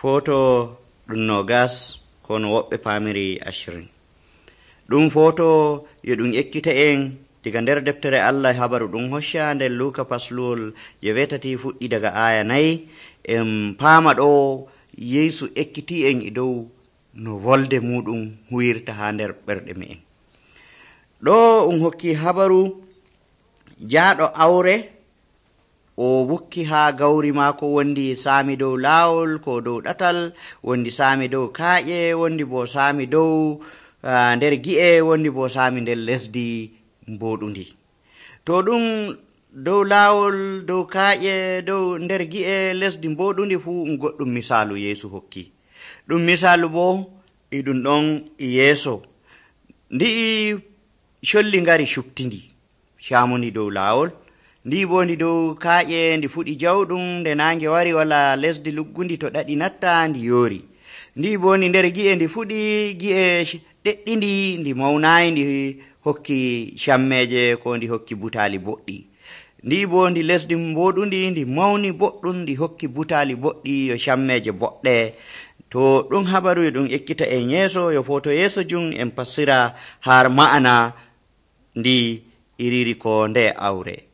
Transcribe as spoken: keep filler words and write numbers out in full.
Foto ɗum nogas kono woɓɓe paamiri ashirin. Ɗum foto yo ɗum ekkita en diga nder deftere Allah habaru ɗum hocca nder Luka pasluwol je wetati fuɗɗi daga aya nayi. En paama ɗo Yeesu ekkiti en e dow no wolde muɗum huwirta ha nder ɓerɗe me'en. Ɗo um hokki habaru jaaɗo awre o wukki ha gawri maako, wondi saami dow laawol ko dow ɗatal, wondi saami dow kaaƴe, wondi bo saami dow uh, nder gi'e, wondi bo saami nder lesdi mboɗundi. To ɗum dow laawol, dow kaaƴe, dow nder gi'e, lesdi mboɗundi fuu um goɗɗum misaalu Yeesu hokki. Ɗum misaalu bo e ɗum ɗon e yeeso ndi'i colli ngari cuɓtindi caamundi dow laawol, ndi bo ndi dow kaaƴe ndi fuɗi jawɗum, nde naange wari wala lesdi luggundi to ɗaɗi natta ndi yoori. Ndi bo ndi nder gi'e ndi fuɗi gi'e ɗeɗɗindi, ndi mawnayi, ndi hokki cammeje ko ndi hokki butaali boɗɗi. Ndi bo ndi lesdi mboɗundi ndi mawni boɗɗum, ndi hokki butaali boɗɗi yo cammeje boɗɗe. To ɗum habaru e ɗum ekkita en yeeso yo foto yeeso jum en passira har ma'ana ndi iriri ko nde awre.